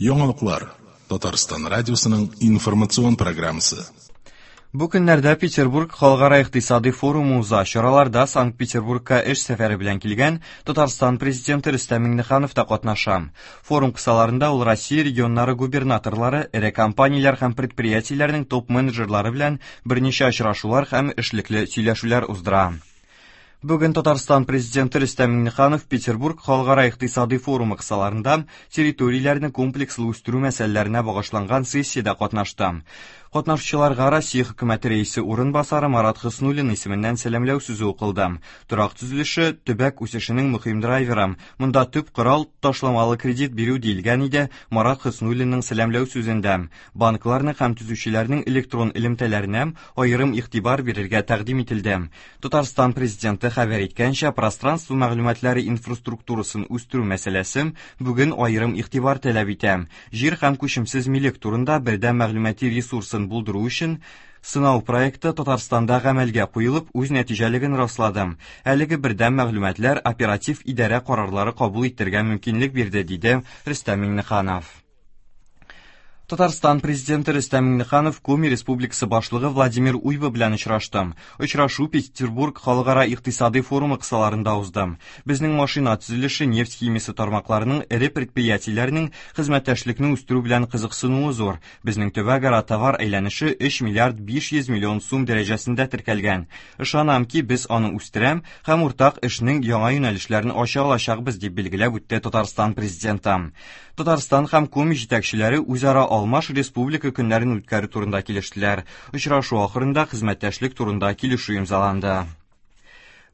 Яңалыклар. Татарстан радиосының информацион программасы. Бу көннәрдә Петербург халыкара икътисади форумы уза. Чараларда Санкт-Петербургка эш сәфәре белән килгән Татарстан президенты Рөстәм Миңнеханов та катнаша. Форум кысаларында ул Россия регионнары губернаторлары, эре компанияләр һәм предприятиеләрнең топ-менеджерлары белән берничә очрашулар һәм эшлекле сөйләшүләр уздыра. Бүген Татарстан президенты Рөстәм Миңнеханов Петербург халыкара икътисади форумы кысаларында территорияләрне комплекслы үстерү мәсьәләләренә багышланган сессиядә катнашты. Катнашучыларга Россия хөкүмәте рәисе урынбасары Марат Хөснуллин исеменнән сәламләү сүзе укылды. Торак төзелеше төбәк үсешенең мөһим драйверы. Монда төп корал ташламалы кредит бирү диелгән иде Марат Хөснуллинның сәламләү сүзендә. Банкларны һәм төзүчеләрнең электрон элемтәләренә аерым игътибар бирергә тәкъдим ителде. Татарстан президенты хәбәр иткәнчә, пространство мәгълүматлары инфраструктурасын үстерү мәсьәләсе бүген аерым игътибар таләп итә. Җир һәм күчемсез милек турында бердәм мәгълүмати ресурсын булдыру өчен сынау проекты Татарстанда гамәлгә куелып, үз нәтиҗәлеген раслады. Әлеге бердәм мәгълүматлар оператив идарә карарлары кабул итәргә мөмкинлек бирде, диде Рөстәм Миңнеханов. Татарстан президенты Рөстәм Миңнеханов Коми Республикасы башлыгы Владимир Уйба белән очрашты. Очрашу Петербург халыкара икътисади форумы кысаларында узды. Безнең машина төзелеше, нефть химиясе тармакларының эре предприятиеләренең хезмәттәшлекне үстерү белән кызыксынуы зур. Безнең төбәкара товар әйләнеше 3 миллиард 500 миллион сум дәрәҗәсендә теркәлгән. Ышанам ки, без аны үстерәм һәм уртак эшнең яңа юнәлешләрен ача алачакбыз, дип билгеләп үтте Татарстан президенты. Татарстан һәм Коми җитәкчеләре үзара алмаш республика көннәрен үткәрү турында килештеләр. Очрашу ахырында хезмәттәшлек турында килешү имзаланды.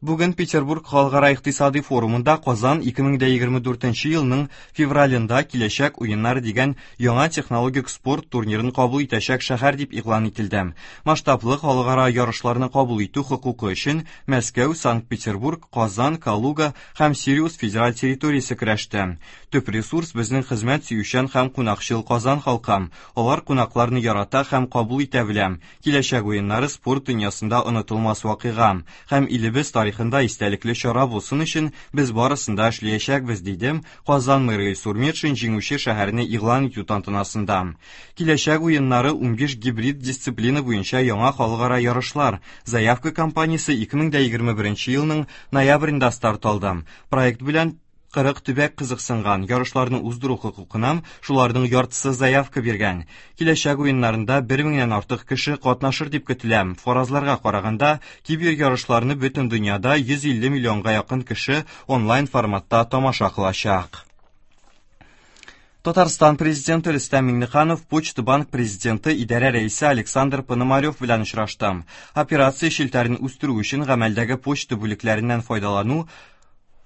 Бүген Петербург халыкара икътисади форумында Казан 2024 елның февралендә Киләчәк уеннары дигән яңа технологик спорт турнирын кабул итәчәк шәһәр дип игълан ителде. Масштаблы халыкара ярышларны кабул итү хокукы өчен Мәскәү, Санкт-Петербург, Казан, Калуга һәм Сириус федераль территориясе көрәште. Төп ресурс безнең хезмәт сөючән һәм кунакчыл Казан халкы. Алар кунакларны ярата һәм кабул итә белә. Киләчәк уеннары спорт дөньясында онытылмас вакыйга һәм илебез тарихында истәлекле чара булсын өчен без барысын да эшләячәкбез, диде Казан мэры Илсур Метшин җиңүче шәһәрне игълан итү тантанасында. Киләчәк уеннары 15 гибрид дисциплина буенча яңа халыкара ярышлар. Заявка кампаниясе 2021 елның ноябрендә старт алды. Проект белән 40 төбәк кызыксынган, ярышларны уздыру хокукына шуларның яртысы заявка биргән. Киләчәк уеннарында 1000-нән артык кеше катнашыр дип көтелә. Фаразларга караганда, кибер ярышларны бөтен дөньяда 150 миллионга якын кеше онлайн форматта тамаша кылачак. Татарстан президенты Рөстәм Миңнеханов Почта банк президенты идарә рәисе Александр Пономарев белән очрашты. Операция челтәрен үстерү өчен гамәлдәге почта бүлекләреннән файдалану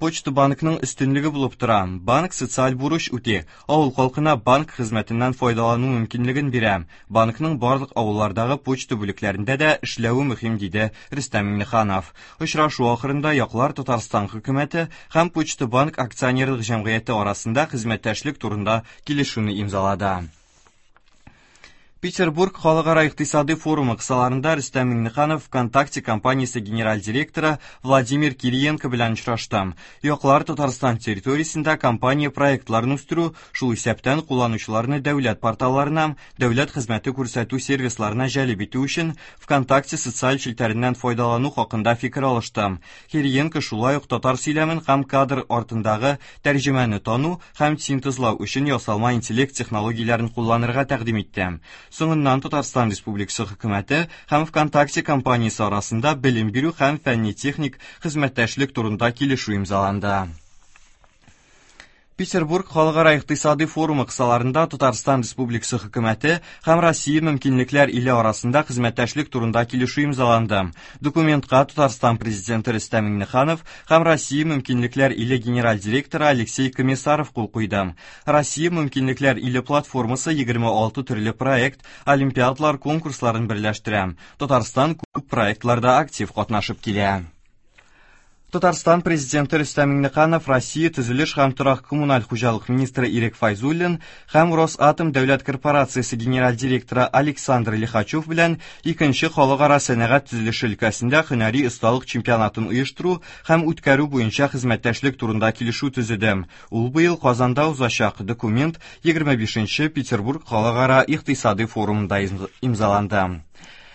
Почта банкның өстенлеге булып тора. Банк социаль бурыч үти. Авыл халкына банк хезмәтеннән файдалану мөмкинлеген бирә. Банкның барлык авыллардагы почта бүлекләрендә дә эшләве мөһим, диде Рөстәм Миңнеханов. Очрашу ахырында яклар Татарстан хөкүмәте һәм Почта банк акционерлык җәмгыяте арасында хезмәттәшлек турында килешүне имзалады. Петербург халыкара икътисади форумы кысаларында Рөстәм Миңнеханов ВКонтакте компаниясе генераль директоры Владимир Кириенко белән очрашты. Яклар Татарстан территориясендә компания проектларын үстерү, шул исәптән кулланучыларны дәүләт порталларына, дәүләт хезмәте күрсәтү сервисларына җәлеп итү өчен ВКонтакте социаль челтәреннән файдалану хакында фикер алышты. Кириенко шулай ук татар сөйләмен һәм кадр артындагы тәрҗемәне тану һәм синтезлау өчен ясалма интеллект технологияләрен кулланырга тәкъдим итте. Соңыннан Татарстан Республикасы хөкүмәте һәм ВКонтакте компаниясе арасында белем бирү һәм фәнни-техник хезмәттәшлек турында килешү имзаланды. Петербург халыкара икътисади форумы кысаларында Татарстан Республикасы хөкүмәте һәм Россия мөмкинлекләр иле арасында хезмәттәшлек турында килешү имзаланды. Документка Татарстан президенты Рөстәм Миңнеханов һәм Россия мөмкинлекләр иле генераль директоры Алексей Комиссаров кул куйды. Россия мөмкинлекләр иле платформасы 26 төрле проект, олимпиадалар конкурсларын берләштерә. Татарстан күп проектларда актив катнашып килә. Татарстан Президенты Рөстәм Миңнеханов Россия төзелеш һәм торак коммуналь хуҗалык министры Ирек Файзуллин һәм Росатом дәүләт корпорациясе генераль директоры Александр Лихачев белән икенче халыкара сәнәгать төзелеше өлкәсендә һөнәри осталык чемпионатын оештыру һәм үткәрү буенча хезмәттәшлек турында килешү төзеде. Ул быел Казанда узачак. Документ 25 Петербург халыкара икътисадый форумында имзаланды.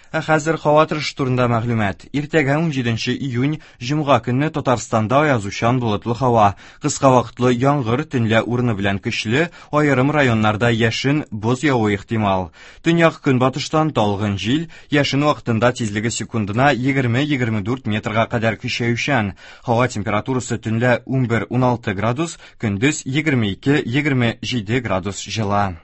Ә хәзер һава торышы турында мәгълүмат. Иртәгә 17 июнь, җомга көнне Татарстанда аязучан болытлы һава. Кыска вакытлы яңгыр, төнлә урыны белән көчле, аерым районнарда яшен, боз явуы ихтимал. Төньяк көнбатыштан талгын җил, яшен вакытында тизлеге секундына 20-24 метрга кадәр көчәючән. Һава температурасы төнлә 11-16 градус, көндез 22-27 градус җылы.